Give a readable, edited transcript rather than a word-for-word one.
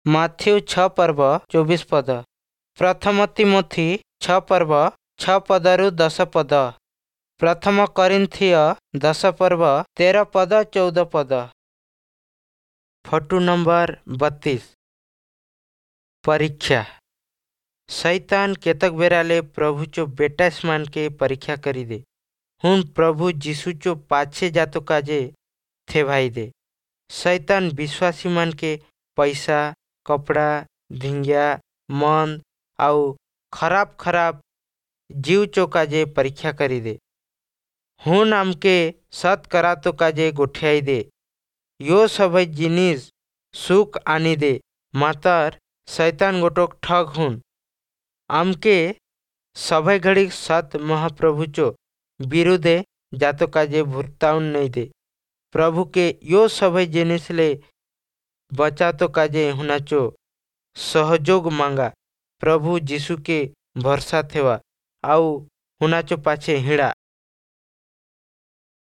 Matthew 6 ପର୍ବ 24 ପଦ। ପ୍ରଥମ ତିମୋଥି 6 ପର୍ବ 6 ପଦରୁ 10 ପଦ। ପ୍ରଥମ କରିନ୍ଥୀୟ 10 ପର୍ବ 13 ପଦ 14 ପଦ। Photo number 32। ପରୀକ୍ଷା। ଶୈତାନ କେତକ ବେରାଲେ ପ୍ରଭୁଚୋ ବେଟାସମାନକେ ପରୀକ୍ଷା କରିଦେ, ହୁନ୍ ପ୍ରଭୁ ଯୀଶୁଚୋ ପାଛେ ଜାତୋ କାଜେ ଥେଭାଇ ଦେ। ଶୈତାନ ବିଶ୍ୱାସୀମାନକେ ପଇସା, କପଡ଼ା, ଧିଙ୍ଗିଆ, ମନ୍ଦ ଆଉ ଖରାପ ଖରାପ ଜୀବଚୋ କାଜେ ପରୀକ୍ଷା କରିଦେ। ହୁନ୍ ଆମକେ ସତ୍ କରାତୋ କାଜେ ଗୋଠିଆଇ ଦେ। यो सबै जिनिस सुख आनी दे, मातर शैतान गोटोक ठग हुन। आमके सबै घड़ी सत महाप्रभुचो विरुद्धे जातो काजे भुरताउन नहीं दे। प्रभु के यो सबै जिनिस ले बचातो काजे हुनाचो सहयोग मांगा। प्रभु यीशु के भरोसा थेवा आउ हुनाचो पाछे हिड़ा।